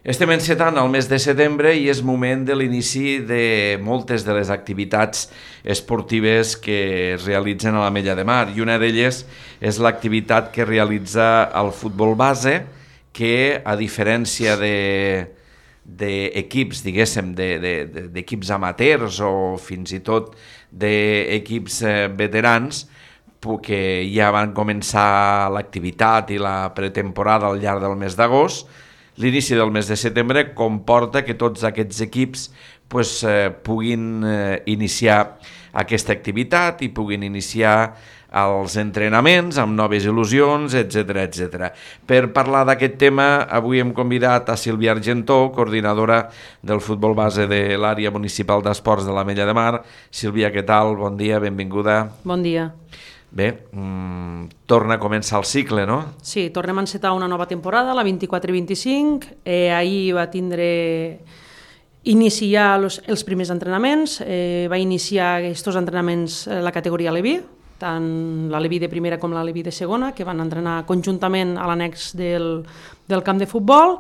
Estem encetant el mes de setembre i és moment de l'inici de moltes de les activitats esportives que es realitzen a l'Ametlla de Mar, i una d'elles és l'activitat que realitza el futbol base, que a diferència d'equips, diguéssim, d'equips amateurs o fins i tot d'equips veterans, que ja van començar l'activitat i la pretemporada al llarg del mes d'agost, l'inici del mes de setembre comporta que tots aquests equips puguin iniciar aquesta activitat i puguin iniciar els entrenaments amb noves il·lusions, etc. Per parlar d'aquest tema, avui hem convidat a Sílvia Argentó, coordinadora del futbol base de l'àrea municipal d'esports de l'Ametlla de Mar. Sílvia, què tal? Bon dia, benvinguda. Bon dia. Bé, torna a començar el cicle, no? Sí, tornem a encetar una nova temporada, la 24-25. Ahir va iniciar els primers entrenaments. Va iniciar aquests entrenaments la categoria Leví, tant la Leví de primera com la Leví de segona, que van entrenar conjuntament a l'annex del camp de futbol.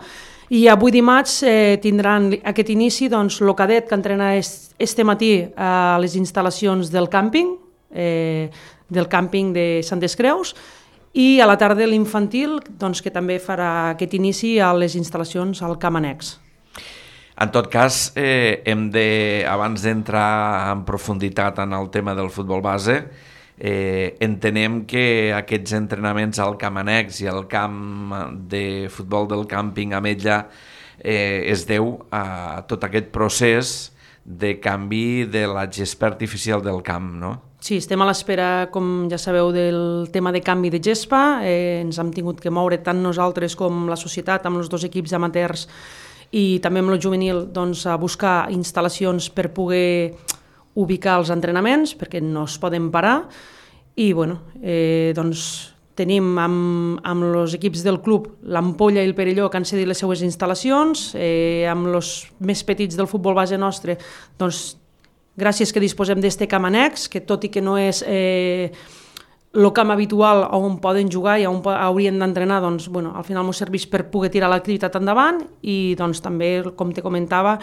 I avui dimarts tindran aquest inici el cadet que entrena este matí a les instal·lacions del càmping, del càmping de Santes Creus, i a la tarda l'infantil, que també farà aquest inici a les instal·lacions al camp annex. En tot cas, abans d'entrar en profunditat en el tema del futbol base, entenem que aquests entrenaments al camp annex i al camp de futbol del càmping Ametlla es deu a tot aquest procés de canvi de la gespa artificial del camp, no? Sí, estem a l'espera, com ja sabeu, del tema de canvi de gespa. Ens hem tingut que moure tant nosaltres com la societat amb els dos equips amateurs i també amb el juvenil a buscar instal·lacions per poder ubicar els entrenaments, perquè no es poden parar. I tenim amb els equips del club l'Ampolla i el Perelló, que han cedit les seues instal·lacions. Amb els més petits del futbol base nostre, gràcies que disposem d'este camp annex, que tot i que no és el camp habitual on poden jugar i on haurien d'entrenar, al final ens serveix per poder tirar l'activitat endavant. I també, com te comentava,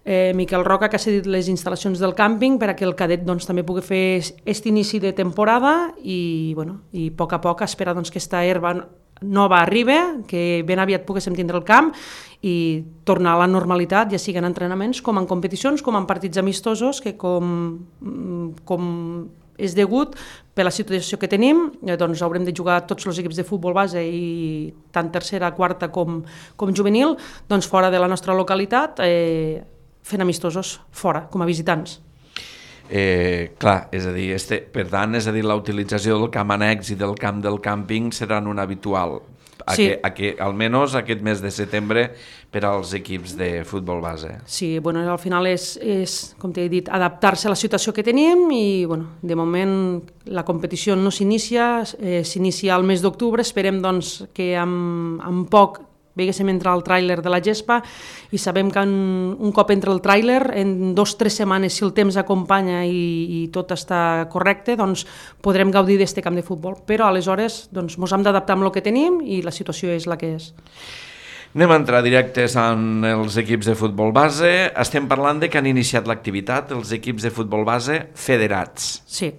Miquel Roca, que ha cedit les instal·lacions del càmping perquè el cadet també pugui fer aquest inici de temporada i a poc esperar que aquesta herba nova arribi, que ben aviat poguéssim tindre el camp i tornar a la normalitat, ja siguin entrenaments com en competicions, com en partits amistosos, que com és degut per la situació que tenim, haurem de jugar tots els equips de futbol base i tant tercera, quarta com juvenil, fora de la nostra localitat, fent amistosos fora, com a visitants. Clar, és a dir, per tant, la utilització del camp annex i del camp del càmping seran un habitual, almenys aquest mes de setembre per als equips de futbol base. Sí, al final és, com t'he dit, adaptar-se a la situació que tenim i, de moment la competició no s'inicia, s'inicia al mes d'octubre, esperem que amb poc veiéssim entrar el tràiler de la gespa i sabem que un cop entra el tràiler, en 2 o 3 setmanes, si el temps acompanya i tot està correcte, podrem gaudir d'este camp de futbol. Però aleshores ens hem d'adaptar amb el que tenim i la situació és la que és. Anem a entrar directes en els equips de futbol base. Estem parlant de que han iniciat l'activitat els equips de futbol base federats. Sí.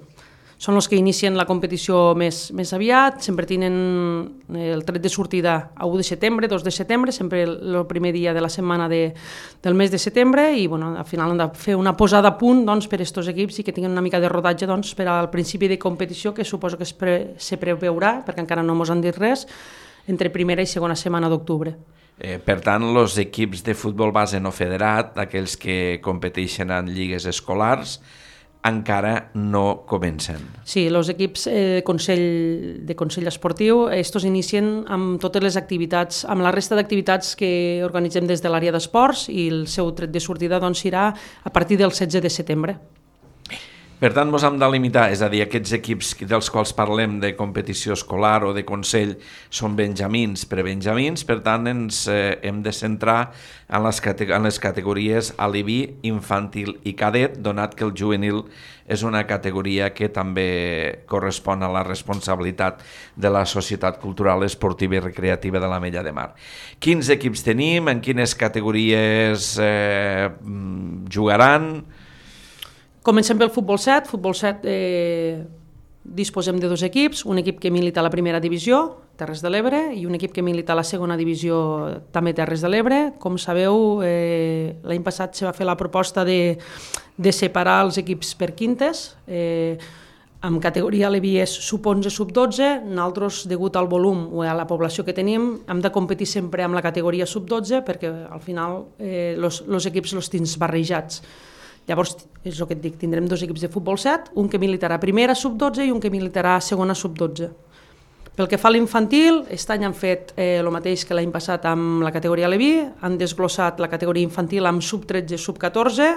Són els que inicien la competició més aviat, sempre tenen el tret de sortida a 1 de setembre, 2 de setembre, sempre el primer dia de la setmana del mes de setembre i al final han de fer una posada a punt per a aquests equips i que tinguin una mica de rodatge per al principi de competició, que suposo que se preveurà, perquè encara no ens han dit res, entre primera i segona setmana d'octubre. Per tant, els equips de futbol base no federat, aquells que competeixen en lligues escolars, encara no comencen. Sí, els equips de Consell Esportiu estos inicien amb totes les activitats, amb la resta d'activitats que organitzem des de l'àrea d'esports i el seu tret de sortida serà a partir del 16 de setembre. Per tant, ens hem de limitar, és a dir, aquests equips dels quals parlem de competició escolar o de consell són benjamins, prebenjamins, per tant ens hem de centrar en les categories alibi, infantil i cadet, donat que el juvenil és una categoria que també correspon a la responsabilitat de la Societat Cultural, Esportiva i Recreativa de l'Ametlla de Mar. Quins equips tenim? En quines categories jugaran? Comencem pel futbol 7. Futbol 7 disposem de dos equips, un equip que milita a la primera divisió, Terres de l'Ebre, i un equip que milita a la segona divisió, també Terres de l'Ebre. Com sabeu, l'any passat se va fer la proposta de separar els equips per quintes, amb categoria Levi és sub-11, sub-12, nosaltres, degut al volum o a la població que tenim, hem de competir sempre amb la categoria sub-12 perquè al final els equips els tens barrejats. Llavors, és el que et dic, tindrem dos equips de futbol 7, un que militarà primera sub-12 i un que militarà segona sub-12. Pel que fa a l'infantil, aquest any han fet el mateix que l'any passat amb la categoria Levi, han desglossat la categoria infantil amb sub-13, sub-14,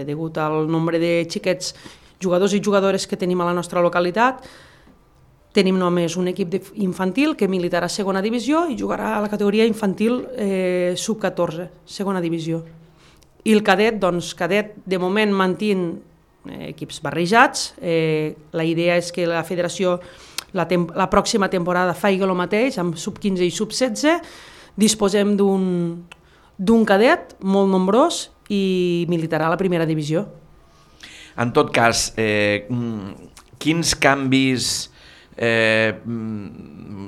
degut al nombre de xiquets jugadors i jugadores que tenim a la nostra localitat. Tenim només un equip infantil que militarà a segona divisió i jugarà a la categoria infantil sub-14, segona divisió. I el cadet, doncs, cadet de moment mantén equips barrejats. La idea és que la federació la pròxima temporada faci el mateix, amb sub-15 i sub-16. Disposem d'un cadet molt nombrós i militarà a la primera divisió. En tot cas, quins canvis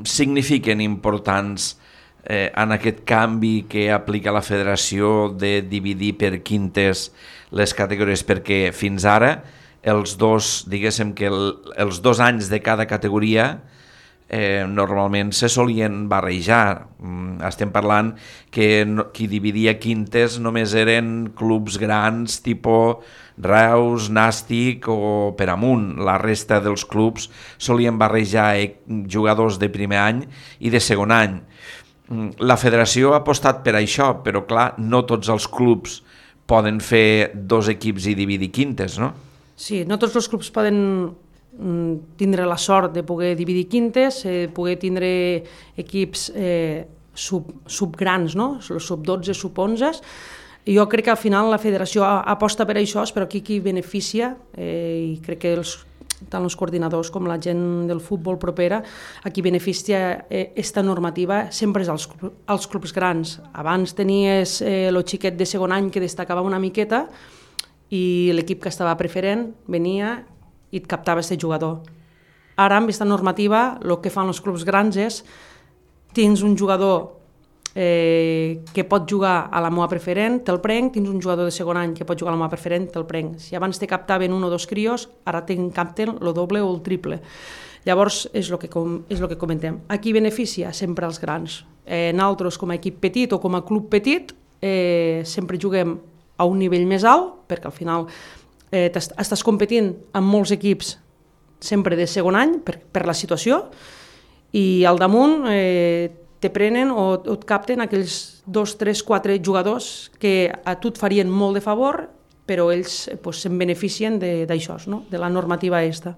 signifiquen importants en aquest canvi que aplica la federació de dividir per quintes les categories, perquè fins ara els dos anys de cada categoria normalment se solien barrejar. Estem parlant que qui dividia quintes només eren clubs grans tipus Reus, Nàstic o Peramunt. La resta dels clubs solien barrejar jugadors de primer any i de segon any. La federació ha apostat per això, però clar, no tots els clubs poden fer dos equips i dividir quintes, no? Sí, no tots els clubs poden tindre la sort de poder dividir quintes, poder tindre equips subgrans, no? Sub-12, sub-11. Jo crec que al final la federació aposta per això, però aquí qui beneficia, i crec que tant els coordinadors com la gent del futbol propera, a qui beneficia aquesta normativa sempre és els clubs grans. Abans tenies el xiquet de segon any que destacava una miqueta i l'equip que estava preferent venia i et captava aquest jugador. Ara, amb aquesta normativa, el que fan els clubs grans és tens un jugador que pot jugar a la meva preferent, te'l prenc, tens un jugador de segon any que pot jugar a la meva preferent, te'l prenc. Si abans te captaven un o dos crios, ara te capten el doble o el triple. Llavors, és el que comentem. A qui beneficia? Sempre els grans. Nosaltres, com a equip petit o com a club petit, sempre juguem a un nivell més alt, perquè al final estàs competint amb molts equips sempre de segon any per la situació, i al damunt te prenen o et capten aquells 2, 3, 4 jugadors que a tu et farien molt de favor, però ells se'n beneficien d'això, no? De la normativa aquesta.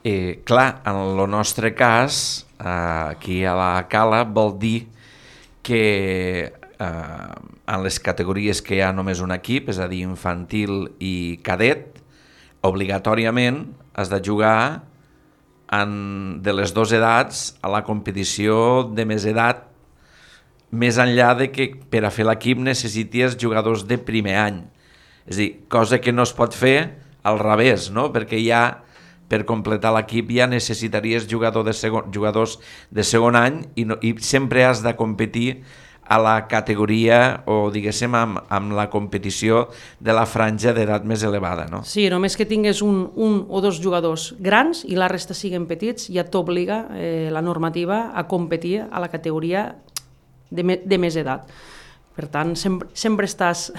Clar, en el nostre cas, aquí a la Cala, vol dir que en les categories que hi ha només un equip, és a dir, infantil i cadet, obligatòriament has de jugar de les dues edats a la competició de més edat, més enllà de que per a fer l'equip necessities jugadors de primer any. És a dir, cosa que no es pot fer al revés, no? Perquè ja per completar l'equip ja necessitaries jugadors de segon any i sempre has de competir a la categoria o, diguéssim, amb la competició de la franja d'edat més elevada, no? Sí, només que tingués un o dos jugadors grans i la resta siguin petits, ja t'obliga la normativa a competir a la categoria de més edat. Per tant, sempre estàs...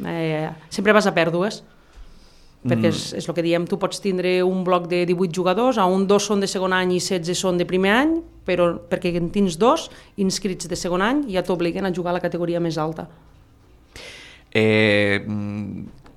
sempre vas a pèrdues, perquè és el que diem, tu pots tindre un bloc de 18 jugadors, on 2 són de segon any i 16 són de primer any, però perquè en tens 2 inscrits de segon any ja t'obliguen a jugar a la categoria més alta.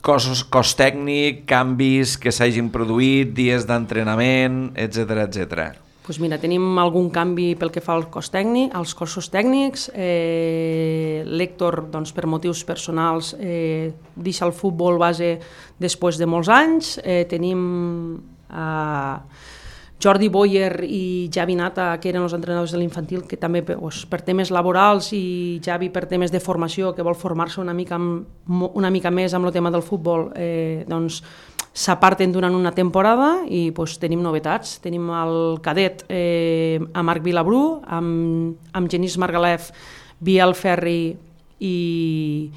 cos tècnic, canvis que s'hagin produït, dies d'entrenament, etc etc. Doncs mira, tenim algun canvi pel que fa al cos tècnic, als cossos tècnics. L'Héctor, doncs, per motius personals, deixa el futbol base després de molts anys. Tenim Jordi Boyer i Javi Nata, que eren els entrenadors de l'infantil, que també per temes laborals, i Javi per temes de formació, que vol formar-se una mica més amb el tema del futbol, doncs s'aparten durant una temporada i tenim novetats. Tenim el cadet a Marc Vilabrú, amb Genís Margalef, Biel Ferri i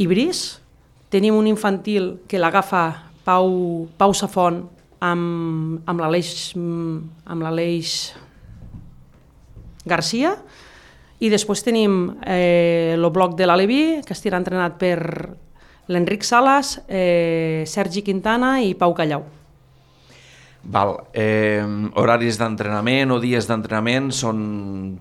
Brice. Tenim un infantil que l'agafa Pau Safont amb l'Aleix Garcia, i després tenim el bloc de l'Aleví, que estarà entrenat per l'Enric Salas, Sergi Quintana i Pau Callau. Horaris d'entrenament o dies d'entrenament són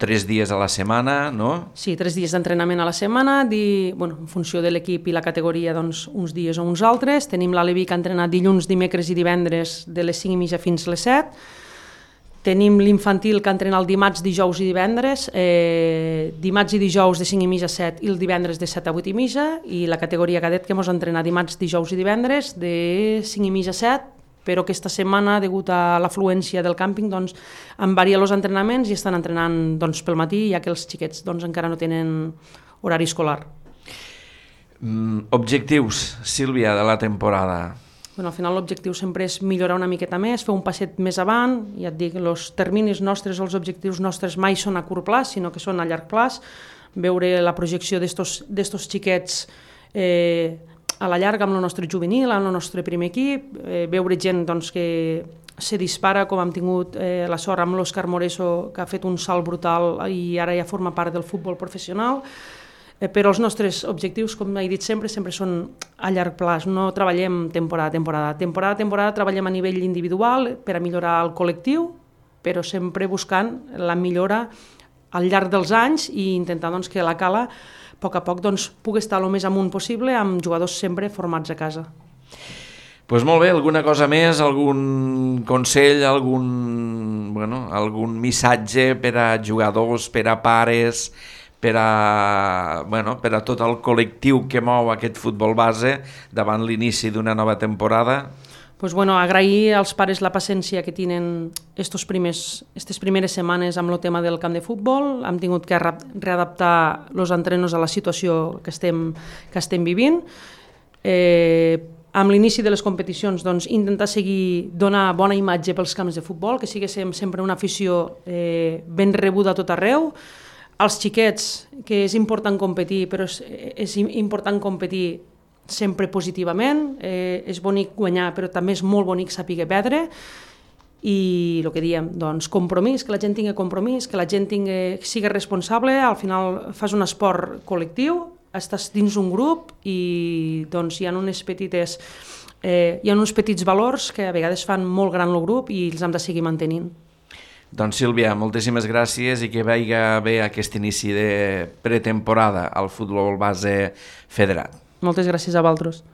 3 dies a la setmana, no? Sí, 3 dies d'entrenament a la setmana, en funció de l'equip i la categoria, doncs, uns dies o uns altres. Tenim l'Aleví, que ha entrenat dilluns, dimecres i divendres de les 5:30 fins les 7. Tenim l'infantil, que entrena el dimarts, dijous i divendres, dimarts i dijous de 5:30 a 7 i el divendres de 7 a 8:30, i la categoria cadet, que ens entrena dimarts, dijous i divendres de 5:30 a 7, però aquesta setmana, degut a l'afluència del càmping, doncs, en varia els entrenaments i estan entrenant, doncs, pel matí, ja que els xiquets, doncs, encara no tenen horari escolar. Objectius, Sílvia, de la temporada? Al final l'objectiu sempre és millorar una miqueta més, fer un passet més avant. Ja et dic, els terminis nostres, els objectius nostres mai són a curt plaç, sinó que són a llarg plaç. Veure la projecció d'estos xiquets a la llarga amb el nostre juvenil, amb el nostre primer equip, veure gent, doncs, que se dispara, com hem tingut la sort amb l'Òscar Moreso, que ha fet un salt brutal i ara ja forma part del futbol professional. Però els nostres objectius, com he dit sempre són a llarg plaç. No treballem temporada a temporada. Temporada a temporada treballem a nivell individual per a millorar el col·lectiu, però sempre buscant la millora al llarg dels anys i intentar, doncs, que la Cala a poc, doncs, pugui estar el més amunt possible, amb jugadors sempre formats a casa. Doncs molt bé, alguna cosa més, algun consell, algun missatge per a jugadors, per a pares, per a tot el col·lectiu que mou aquest futbol base davant l'inici d'una nova temporada? Agrair als pares la paciència que tenen aquestes primeres setmanes amb el tema del camp de futbol. Hem tingut que readaptar els entrenos a la situació que estem vivint. Amb l'inici de les competicions, doncs, intentar donar bona imatge pels camps de futbol, que sigui sempre una afició ben rebuda a tot arreu. Als xiquets, que és important competir, però és important competir sempre positivament. És bonic guanyar, però també és molt bonic saber perdre. I el que diem, doncs, compromís, que la gent tingui compromís, que la gent sigui responsable. Al final fas un esport col·lectiu, estàs dins un grup i, doncs, hi ha uns petits valors que a vegades fan molt gran el grup i els hem de seguir mantenint. Doncs Sílvia, moltíssimes gràcies i que vagi bé aquest inici de pretemporada al futbol base federat. Moltes gràcies a vosaltres.